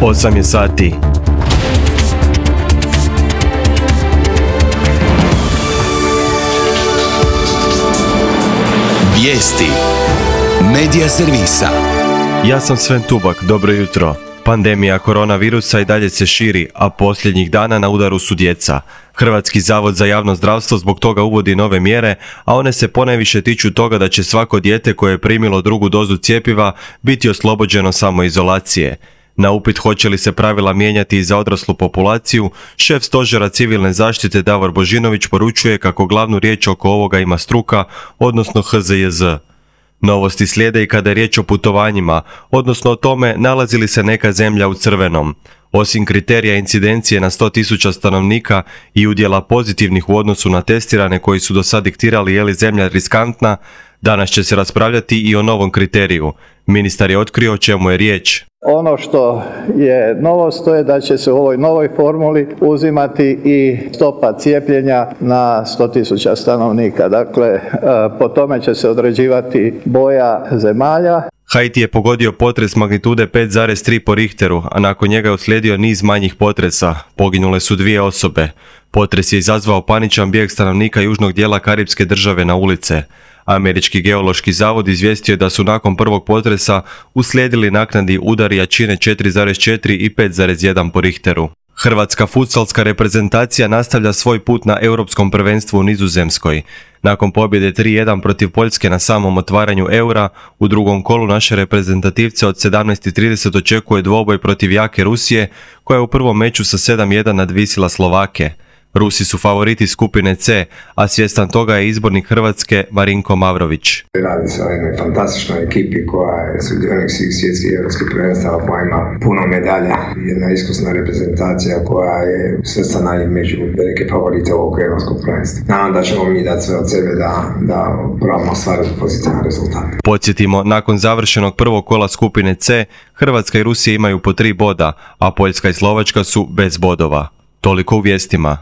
8 je sati. Vijesti Medija servisa. Ja sam Sven Tubak, dobro jutro. Pandemija koronavirusa i dalje se širi, a posljednjih dana na udaru su djeca. Hrvatski zavod za javno zdravstvo zbog toga uvodi nove mjere, a one se ponajviše tiču toga da će svako dijete koje je primilo drugu dozu cjepiva biti oslobođeno samoizolacije. Na upit hoće li se pravila mijenjati i za odraslu populaciju, šef stožera civilne zaštite Davor Božinović poručuje kako glavnu riječ oko ovoga ima struka, odnosno HZJZ. Novosti slijede i kada je riječ o putovanjima, odnosno o tome nalazi li se neka zemlja u crvenom. Osim kriterija incidencije na 100.000 stanovnika i udjela pozitivnih u odnosu na testirane koji su do sad diktirali je li zemlja riskantna, danas će se raspravljati i o novom kriteriju. Ministar je otkrio o čemu je riječ. Ono što je novost, to je da će se u ovoj novoj formuli uzimati i stopa cijepljenja na 100.000 stanovnika. Dakle, po tome će se određivati boja zemalja. Haiti je pogodio potres magnitude 5,3 po Richteru, a nakon njega je uslijedio niz manjih potresa. Poginule su 2 osobe. Potres je izazvao paničan bijeg stanovnika južnog dijela Karipske države na ulice. Američki geološki zavod izvijestio je da su nakon prvog potresa uslijedili naknadni udari jačine 4,4 i 5,1 po Richteru. Hrvatska futsalska reprezentacija nastavlja svoj put na europskom prvenstvu u Nizozemskoj. Nakon pobjede 3:1 protiv Poljske na samom otvaranju eura, u drugom kolu naše reprezentativce od 17:30 očekuje dvoboj protiv jake Rusije, koja je u prvom meču sa 7:1 nadvisila Slovake. Rusi su favoriti skupine C, a svjestan toga je izbornik Hrvatske Marinko Mavrović. Radi se o jednoj fantastičnoj ekipi koja je sudionik svih svjetskih i europskih prvenstava, koja ima puno medalja. Jedna iskusna reprezentacija koja je svrstana i među velike favorite ovog europskog prvenstva. Nadam da ćemo mi dati sve od sebe da probamo ostvariti pozitivan rezultat. Podsjetimo, nakon završenog prvog kola skupine C, Hrvatska i Rusija imaju po 3 boda, a Poljska i Slovačka su bez bodova. Toliko u vijestima.